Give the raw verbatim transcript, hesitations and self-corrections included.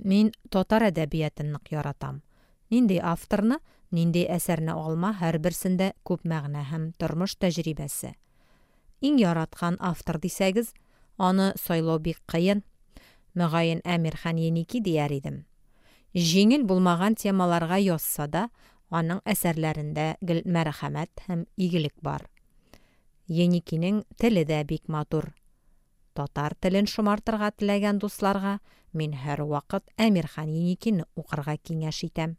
Мин татар әдәбиятын нык яратам. Нинди авторны, нинди әсәрне алма, һәрберсендә күп мәгънә һәм тормыш тәҗрибәсе. Иң яраткан автор дисәгез, аны сайлау бик кыен. Мөгаен, Әмирхан Еники дияр идем. Җиңел булмаган темаларга язса да, аның әсәрләрендә гел мәрхәмәт һәм игелек бар. Еникинең теле дә бик матур. Татар телен шомартырга теләгән дусларга мин һәрвакыт Әмирхан Еникине укырга киңәш итәм.